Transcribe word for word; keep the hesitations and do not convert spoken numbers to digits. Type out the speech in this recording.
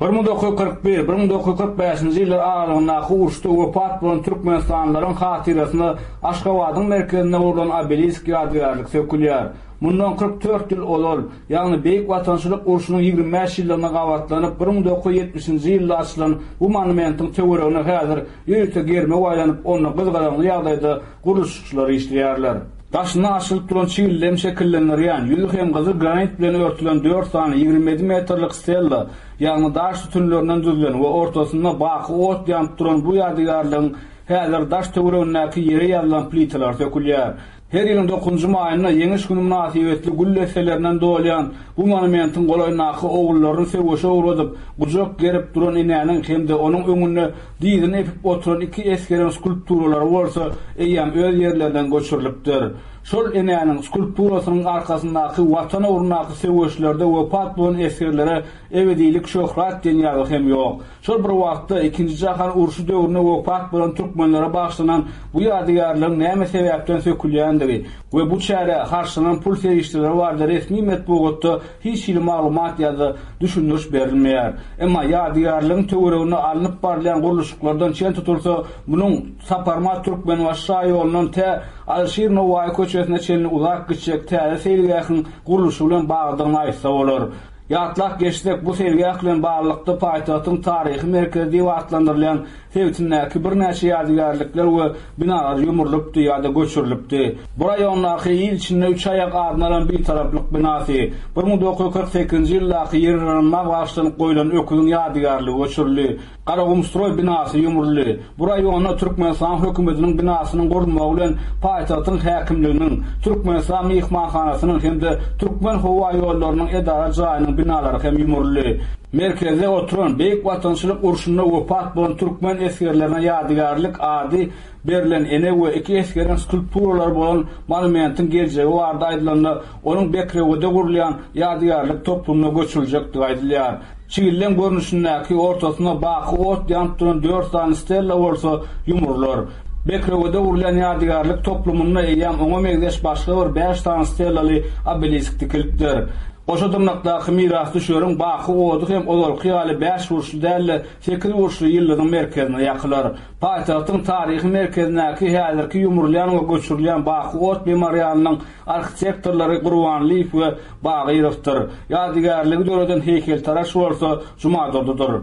bir müň dokuz ýüz kyrk bir, bir müň dokuz ýüz kyrk bäşinji ýyllar aralygyndaky uruşda wepat bolan türkmenistanlylaryň hatyrasyna Aşgabadyň merkezinde gurlan obelisk ýadygärlik sökülýär. Mundan kyrk dört ýyl ozal, ýagny Beýik Watançylyk urşunyň ýigrimi bäş ýyllygyna gabatlanyp bir müň dokuz ýüz ýetmişinji ýylda açylan bu monumentiň töweregine häzir ýörite germew aýlanyp, onda gyzgalaňly ýagdaýda gurluşykçylar işleýärler. Daşynda açylyp duran çigildem şekillendirýän, ýüzi hem gyzyl granit bilen örtülen dört sany ýigrimi ýedi metrlik stella, ýagny daş sütünlerinden düzülen we ortasynda baky ot ýanyp duran bu ýadygärligiň häzir daş töweregindäki ýere ýazylan plitalar sökülýär. Her ýylyň dokuzynjy maýynda Ýeňiş güni mynasybetli gül desselerinden dolýan bu monumentiň golaýyndaky ogullaryny söweşe ugradyp, gujak gerip duran enäniň hem-de onuň öňünde dizini epip oturan iki esgeriň skulpturalary bolsa eýýäm öz ýerlerinden göçürilipdir. Şol enäniň skulpturasynyň arkasyndaky Watan ugrundaky söweşlerde wepat bolan esgerlere ebedilik şöhrat diýen ýazgy hem ýok. Şol bir wagtda ikinji jahan urşy döwründe wepat bolan türkmenlere bagyşlanan bu ýadygärligiň näme sebäpden sökülýändigi we bu çärä harçlanan pul serişdeleri barada resmi metbugatda hiç hili maglumat ýa-da düşündiriş berilmeýär. Emma ýadygärligiň töwereginde alnyp barylýan gurluşyklardan çen tutulsa, munuň Saparmyrat Türkmenbaşy şaýolundan tä Alyşir Nowaýy köçesine çenli uzak gitjek täze seýilgähiň gurluşy bilen baglydygyny aýtsa bolar. Ýatlap geçsek, bu seýilgäh bilen baglylykda paýtagtyň taryhy merkezi diýip atlandyrylýan sebitindäki birnäçe ýadygärlikler we binalar ýumrulypdy ýa-da göçürilipdi. Bu raýondaky il içinde üç aýak adyny alan Bitaraplyk binasy, bir müň dokuz ýüz kyrk sekizinji ýyldaky ýer yranma bagyşlanyp goýlan öküziň ýadygärligi göçürildi. Garagumstroý binasy ýumruldy. Bu raýonda Türkmenistan hökümetiniň binasynyň gurulmagy bilen paýtagtyň häkimliginiň, Türkmenistan myhmanhanasynyň hem-de Türkmen howa ýollarynyň edara jaýynyň binalary hem ýumruldy. Merkezde oturan Beýik Watançylyk urşunda wepat bolan türkmen esgerlerine ýadygärlik ady berlen ene we iki esgeriň skulpturalary bolan monumentiň geljegi barada aýdylanda, onuň Bekrewede gurulýan ýadygärlik toplumyna göçüriljekdigi aýdylýar. Çigildem görnüşindäki ortasynda baky ot ýanyp duran dört sany stella bolsa ýumrular. Bekrewede gurulýan ýadygärlik toplumynda eýýäm oňa meňzeş başga bir bäş sany stellaly obelisk dikilipdir. Goşa dyrnakdaky mirasdüşeriň baky ody hem ozalky ýaly bäş burçly däl-de sekiz burçly ýyldyzyň merkezine ýakylar. Paýtagtyň taryhy merkezindäki häzirki ýumrulýan we göçürilýän baky ot memorialynyň arhitektorlary Gurbanlyýew we Bagyrowdyr. Ýadygärligi döreden heýkeltaraş bolsa Jumadurdydyr.